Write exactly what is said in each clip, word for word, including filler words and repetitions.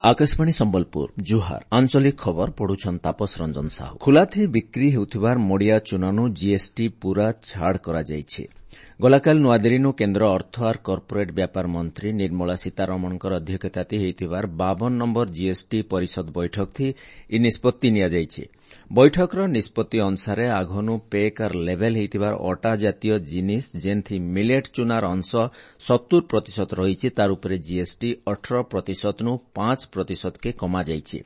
ଆକାଶବାଣୀ ସମ୍ବଲପୁର ଜୁହାର ଆଞ୍ଚଳିକ ଖବର ପଢୁଛନ୍ ତାପସ ରଞ୍ଜନ ସାହୁ ଖୁଲାଥି ବିକ୍ରି ହେଉଥିବାର ମଡିଆ ଚୁନାନୁ ଜିଏସ୍ଟି ପୂରା ଛାଡ଼ କରାଯାଇଛି ଗଲାକାଲି ନୂଆଦିଲ୍ଲୀନୁ କେନ୍ଦ୍ର ଅର୍ଥ ଆର୍ କର୍ପୋରେଟ୍ ବ୍ୟାପାର ମନ୍ତ୍ରୀ ନିର୍ମଳା ସୀତାରମଣଙ୍କର ଅଧ୍ୟକ୍ଷତାତି ହୋଇଥିବାର ବାବନ ନମ୍ବର ଜିଏସ୍ଟି ପରିଷଦ ବୈଠକଥି ଇ ନିଷ୍ପତ୍ତି ନିଆଯାଇଛି ବୈଠକର ନିଷ୍ପତ୍ତି ଅନୁସାରେ ଆଘନୁ ପେକ୍ ଆର୍ ଲେଭେଲ୍ ହୋଇଥିବାର ଅଟା ଜାତୀୟ ଜିନିଷ ଯେନ୍ଥି ମିଲେଟ୍ ଚୁନାର ଅଂଶ ସତୁର ପ୍ରତିଶତ ରହିଛି ତାର ଉପରେ ଜିଏସ୍ଟି ଅଠର ପ୍ରତିଶତନୁ ପାଞ୍ଚ ପ୍ରତିଶତକେ କମାଯାଇଛି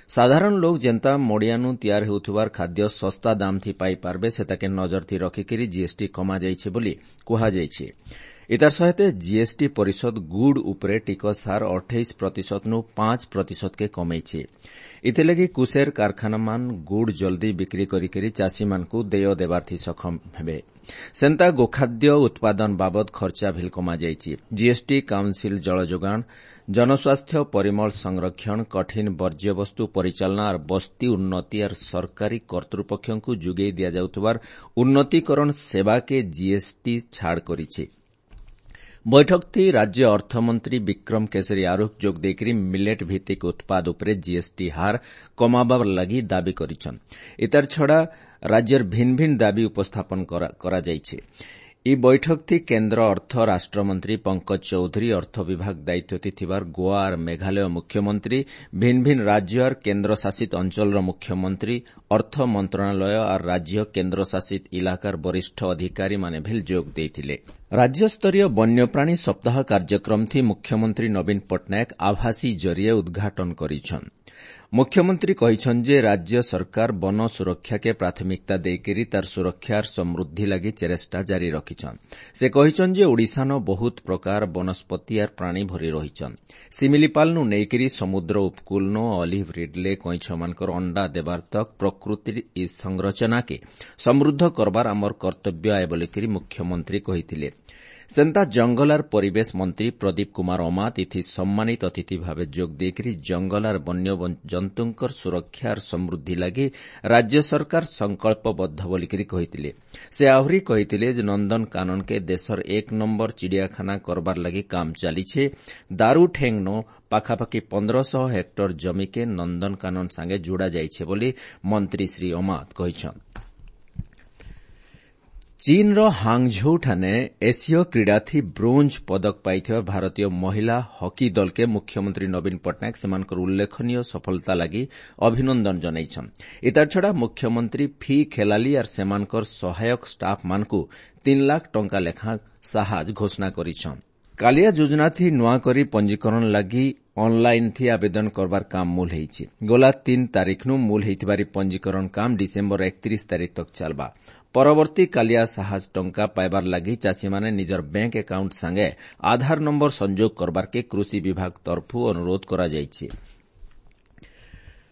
ସାଧାରଣ ଲୋକ ଯେନ୍ତା ମଡିଆନୁ ତିଆର ହେଉଥିବାର ଖାଦ୍ୟ ଶସ୍ତା ଦାମ୍ଥି ପାଇପାରବେ ସେତାକେ ନଜରଥି ରଖିକରି ଜିଏସ୍ଟି କମାଯାଇଛି ବୋଲି କୁହାଯାଇଛି ଇତାର ସହିତ ଜିଏସ୍ଟି ପରିଷଦ ଗୁଡ୍ ଉପରେ ଟିକସ ହାର ଅଠେଇଶ ପ୍ରତିଶତନୁ ପାଞ୍ଚ ପ୍ରତିଶତକେ କମେଇଛି ଏଥିଲାଗି କୁସେର କାରଖାନାମାନ ଗୁଡ୍ ଜଲ୍ଦି ବିକ୍ରି କରିକରି ଚାଷୀମାନଙ୍କୁ ଦେୟ ଦେବାର୍ଥି ସକ୍ଷମ ହେବେ ସେନ୍ତା ଗୋଖାଦ୍ୟ ଉତ୍ପାଦନ ବାବଦ ଖର୍ଚ୍ଚା ଭିଲ୍ କମାଯାଇଛି ଜିଏସ୍ଟି କାଉନ୍ସିଲ୍ ଜଳଯୋଗାଣ ଜନସ୍ୱାସ୍ଥ୍ୟ ପରିମଳ ସଂରକ୍ଷଣ କଠିନ ବର୍ଜ୍ୟବସ୍ତୁ ପରିଚାଳନା ଆର୍ ବସ୍ତି ଉନ୍ନତି ଆର୍ ସରକାରୀ କର୍ତ୍ତୃପକ୍ଷଙ୍କୁ ଯୋଗାଇ ଦିଆଯାଉଥିବାର ଉନ୍ନତିକରଣ ସେବାକେ ଜିଏସ୍ଟି ଛାଡ଼ କରିଛି ବୈଠକଥି ରାଜ୍ୟ ଅର୍ଥମନ୍ତ୍ରୀ ବିକ୍ରମ କେଶରୀ ଆରୁଖ ଯୋଗ ଦେଇକରି ମିଲେଟ୍ ଭିତ୍ତିକ ଉତ୍ପାଦ ଉପରେ ଜିଏସ୍ଟି ହାର କମାବାର ଲାଗି ଦାବି କରିଛନ୍ ଇତାର ଛଡ଼ା ରାଜ୍ୟର ଭିନ୍ନ ଭିନ୍ନ ଦାବି ଉପସ୍ଥାପନ କରାଯାଇଛି ଇ ବୈଠକଥି କେନ୍ଦ୍ର ଅର୍ଥ ରାଷ୍ଟ୍ରମନ୍ତ୍ରୀ ପଙ୍କଜ ଚୌଧୁରୀ ଅର୍ଥ ବିଭାଗ ଦାୟିତ୍ୱରେ ଥିବାର ଗୋଆ ଆର୍ ମେଘାଳୟ ମୁଖ୍ୟମନ୍ତ୍ରୀ ଭିନ୍ନ ଭିନ୍ନ ରାଜ୍ୟ ଆର୍ କେନ୍ଦ୍ରଶାସିତ ଅଞ୍ଚଳର ମୁଖ୍ୟମନ୍ତ୍ରୀ ଅର୍ଥ ମନ୍ତ୍ରଣାଳୟ ଆର୍ ରାଜ୍ୟ କେନ୍ଦ୍ରଶାସିତ ଇଲାକାର ବରିଷ୍ଠ ଅଧିକାରୀମାନେ ଭିଲ୍ ଯୋଗ ଦେଇଥିଲେ ରାଜ୍ୟସ୍ତରୀୟ ବନ୍ୟପ୍ରାଣୀ ସପ୍ତାହ କାର୍ଯ୍ୟକ୍ରମଥି ମୁଖ୍ୟମନ୍ତ୍ରୀ ନବୀନ ପଟ୍ଟନାୟକ ଆଭାସୀ ଜରିଏ ଉଦ୍ଘାଟନ କରିଛନ୍ ମୁଖ୍ୟମନ୍ତ୍ରୀ କହିଛନ୍ ଯେ ରାଜ୍ୟ ସରକାର ବନ ସୁରକ୍ଷାକେ ପ୍ରାଥମିକତା ଦେଇକରି ତାର ସୁରକ୍ଷାର ସମୃଦ୍ଧି ଲାଗି ଚେଷ୍ଟା ଜାରି ରଖିଛନ୍ ସେ କହିଛନ୍ ଯେ ଓଡ଼ିଶାନ ବହୁତ ପ୍ରକାର ବନସ୍ପତି ଆର୍ ପ୍ରାଣୀ ଭରି ରହିଛନ୍ ଶିମିଳିପାଲନୁ ନେଇକରି ସମୁଦ୍ର ଉପକୂଳନୁ ଅଲିଭ୍ ରିଡଲେ କଇଁଛମାନଙ୍କର ଅଣ୍ଡା ଦେବାର ତକ୍ ପ୍ରକୃତିର ଇ ସଂରଚନାକେ ସମୃଦ୍ଧ କରବାର ଆମର କର୍ତ୍ତବ୍ୟ ଆଏ ବୋଲିକରି ମୁଖ୍ୟମନ୍ତ୍ରୀ କହିଥିଲେ ସେନ୍ତା ଜଙ୍ଗଲ ଆର୍ ପରିବେଶ ମନ୍ତ୍ରୀ ପ୍ରଦୀପ କୁମାର ଅମାତ ଏଥି ସମ୍ମାନିତ ଅତିଥି ଭାବେ ଯୋଗ ଦେଇକରି ଜଙ୍ଗଲ ଆର୍ ବନ୍ୟଜନ୍ତୁଙ୍କର ସୁରକ୍ଷା ଆର୍ ସମୃଦ୍ଧି ଲାଗି ରାଜ୍ୟ ସରକାର ସଂକଳ୍ପବଦ୍ଧ ବୋଲିକରି କହିଥିଲେ ସେ ଆହୁରି କହିଥିଲେ ଯେ ନନ୍ଦନକାନନକେ ଦେଶର ଏକ ନମ୍ବର ଚିଡ଼ିଆଖାନା କରବାର ଲାଗି କାମ ଚାଲିଛେ ଦାରୁଠେଙ୍ଗନୋ ପାଖାପାଖି ପନ୍ଦରଶହ ହେକ୍ଟର ଜମିକେ ନନ୍ଦନକାନନ ସାଙ୍ଗେ ଯୋଡ଼ା ଯାଇଛେ ବୋଲି ମନ୍ତ୍ରୀ ଶ୍ରୀ ଅମାତ କହିଛନ୍ ଚୀନ୍ର ହାଙ୍ଗଝୋଉଠାନେ ଏସୀୟ କ୍ରୀଡ଼ାଥି ବ୍ରୋଞ୍ଜ ପଦକ ପାଇଥିବା ଭାରତୀୟ ମହିଳା ହକି ଦଳକେ ମୁଖ୍ୟମନ୍ତ୍ରୀ ନବୀନ ପଟ୍ଟନାୟକ ସେମାନଙ୍କର ଉଲ୍ଲେଖନୀୟ ସଫଳତା ଲାଗି ଅଭିନନ୍ଦନ ଜଣାଇଛନ୍ ଇତାରଛଡ଼ା ମୁଖ୍ୟମନ୍ତ୍ରୀ ଫି ଖେଲାଲି ଆର୍ ସେମାନଙ୍କର ସହାୟକ ଷ୍ଟାଫ୍ମାନଙ୍କୁ ତିନି ଲାଖ ଟଙ୍କା ଲେଖା ସାହାଯ୍ୟ ଘୋଷଣା କରିଛନ୍ କାଲିଆ ଯୋଜନାଥି ନୂଆକରି ପଞ୍ଜୀକରଣ ଲାଗି ଅନ୍ଲାଇନ୍ଥି ଆବେଦନ କରବାର କାମ ମୂଲ ହେଇଛି ଗଲା ତିନି ତାରିଖନୁ ମୂଲ ହେଇଥିବାର ପଞ୍ଜୀକରଣ କାମ ଡିସେମ୍ବର ଏକତିରିଶ ତାରିଖ ତକ୍ ଚାଲବା ପରବର୍ତ୍ତୀ କାଲିଆ ସାହାଯ୍ୟ ଟଙ୍କା ପାଇବାର ଲାଗି ଚାଷୀମାନେ ନିଜର ବ୍ୟାଙ୍କ ଆକାଉଣ୍ଟ ସାଙ୍ଗେ ଆଧାର ନମ୍ବର ସଂଯୋଗ କରବାର୍କେ କୃଷି ବିଭାଗ ତରଫୁ ଅନୁରୋଧ କରାଯାଇଛି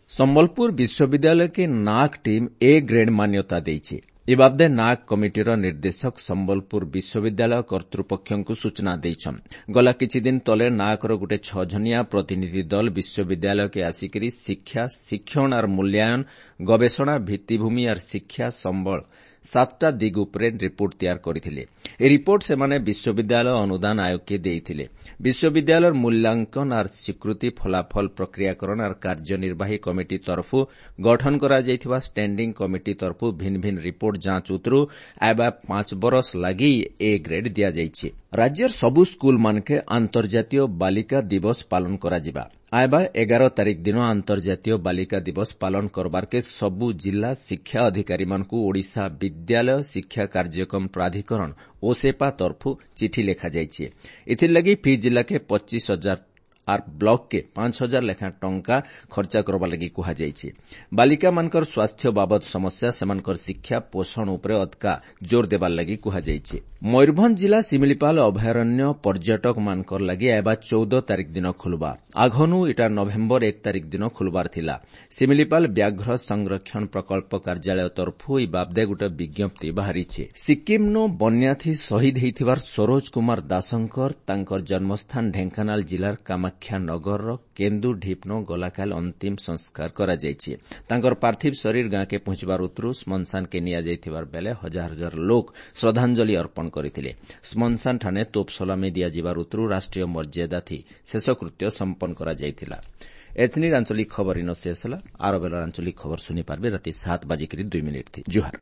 ସମ୍ବଲପୁର ବିଶ୍ୱବିଦ୍ୟାଳୟକେ ନାକ୍ ଟିମ୍ ଏ ଗ୍ରେଡ୍ ମାନ୍ୟତା ଦେଇଛି ଏ ବାବଦେ ନାକ୍ କମିଟିର ନିର୍ଦ୍ଦେଶକ ସମ୍ବଲପୁର ବିଶ୍ୱବିଦ୍ୟାଳୟ କର୍ତ୍ତୃପକ୍ଷଙ୍କୁ ସୂଚନା ଦେଇଛନ୍ ଗଲା କିଛିଦିନ ତଲେ ନାକ୍ର ଗୋଟେ ଛଅ ଜଣିଆ ପ୍ରତିନିଧି ଦଳ ବିଶ୍ୱବିଦ୍ୟାଳୟକେ ଆସିକରି ଶିକ୍ଷା ଶିକ୍ଷଣ ଆର୍ ମୂଲ୍ୟାୟନ ଗବେଷଣା ଭିତ୍ତିଭୂମି ଆର୍ ଶିକ୍ଷା ସମ୍ବଳ ସାତଟା ଦିଗ ଉପରେ ରିପୋର୍ଟ ତିଆର କରିଥିଲେ ଏହି ରିପୋର୍ଟ ସେମାନେ ବିଶ୍ୱବିଦ୍ୟାଳୟ ଅନୁଦାନ ଆୟୋଗକେ ଦେଇଥିଲେ ବିଶ୍ୱବିଦ୍ୟାଳୟର ମୂଲ୍ୟାଙ୍କନ ଆର୍ ସ୍ୱୀକୃତି ଫଳାଫଳ ପ୍ରକ୍ରିୟାକରଣ ଆର୍ କାର୍ଯ୍ୟନିର୍ବାହୀ କମିଟି ତରଫୁ ଗଠନ କରାଯାଇଥିବା ଷ୍ଟାଣ୍ଡିଂ କମିଟି ତରଫୁ ଭିନ୍ନ ଭିନ୍ନ ରିପୋର୍ଟ ଯାଞ୍ଚ ଉତରୁ ଆଇବା ପାଞ୍ଚ ବରଷ ଲାଗି ଏ ଗ୍ରେଡ୍ ଦିଆଯାଇଛି ରାଜ୍ୟର ସବୁ ସ୍କୁଲମାନକେ ଆନ୍ତର୍ଜାତୀୟ ବାଲିକା ଦିବସ ପାଳନ କରାଯିବା ଆଇବା ଏଗାର ତାରିଖ ଦିନ ଆନ୍ତର୍ଜାତୀୟ ବାଲିକା ଦିବସ ପାଳନ କରବାର୍କେ ସବୁ ଜିଲ୍ଲା ଶିକ୍ଷା ଅଧିକାରୀମାନଙ୍କୁ ଓଡ଼ିଶା ବିଦ୍ୟାଳୟ ଶିକ୍ଷା କାର୍ଯ୍ୟକ୍ରମ ପ୍ରାଧିକରଣ ଓସେପା ତରଫୁ ଚିଠି ଲେଖାଯାଇଛି ଏଥିର୍ଲାଗି ଫି ଜିଲ୍ଲାକେ ପଚିଶ ହଜାର ଆର୍ ବ୍ଲକକେ ପାଞ୍ଚ ହଜାର ଲେଖାଏଁ ଟଙ୍କା ଖର୍ଚ୍ଚ କରବା ଲାଗି କୁହାଯାଇଛି ବାଲିକାମାନଙ୍କର ସ୍ୱାସ୍ଥ୍ୟ ବାବଦ ସମସ୍ୟା ସେମାନଙ୍କର ଶିକ୍ଷା ପୋଷଣ ଉପରେ ଅଧିକା ଜୋର ଦେବାର ଲାଗି କୁହାଯାଇଛି ମୟୂରଭଞ୍ଜ ଜିଲ୍ଲା ଶିମିଳିପାଳ ଅଭୟାରଣ୍ୟ ପର୍ଯ୍ୟଟକମାନଙ୍କର ଲାଗି ଆଇବା ଚଉଦ ତାରିଖ ଦିନ ଖୋଲବା ଆଘନୁ ଇଟା ନଭେମ୍ବର ଏକ ତାରିଖ ଦିନ ଖୋଲବାର ଥିଲା ଶିମିଳିପାଳ ବ୍ୟାଘ୍ର ସଂରକ୍ଷଣ ପ୍ରକଳ୍ପ କାର୍ଯ୍ୟାଳୟ ତରଫୁ ଏହି ବାବଦେ ଗୋଟେ ବିଜ୍ଞପ୍ତି ବାହାରିଛି ସିକ୍କିମ୍ନୁ ବନ୍ୟାଥି ଶହୀଦ ହୋଇଥିବାର ସରୋଜ କୁମାର ଦାସଙ୍କର ତାଙ୍କର ଜନ୍ମସ୍ଥାନ ଢେଙ୍କାନାଳ ଜିଲ୍ଲାର କାମାକ୍ଷାନଗରର କେନ୍ଦୁଢିପ୍ନୋ ଗଲାକାଲି ଅନ୍ତିମ ସଂସ୍କାର କରାଯାଇଛି ତାଙ୍କର ପାର୍ଥିବ ଶରୀର ଗାଁକେ ପହଞ୍ଚିବାର ଉତ୍ତରୁ ଶ୍ମଶାନକେ ନିଆଯାଇଥିବାର ବେଲେ ହଜାର ହଜାର ଲୋକ ଶ୍ରଦ୍ଧାଞ୍ଜଳି ଅର୍ପଣ କରିଥିଲେ ଶ୍ମଶାନଠାନେ ତୋପ ସଲାମି ଦିଆଯିବାର ଉତ୍ତରୁ ରାଷ୍ଟ୍ରୀୟ ମର୍ଯ୍ୟାଦାଥି ଶେଷକୃତ୍ୟ ସମ୍ପନ୍ନ କରାଯାଇଥିଲା ଏଚ୍ନିର ଆଞ୍ଚଳିକ ଖବର ଇନ ଶେଷ ହେଲା। ଆର ବେଲର ଆଞ୍ଚଳିକ ଖବର ଶୁନି ପାରବେ ରାତି ସାତ ବାଜିକିରି ଦୁଇ ମିନିଟ୍ ଥି। ଜୁହାର।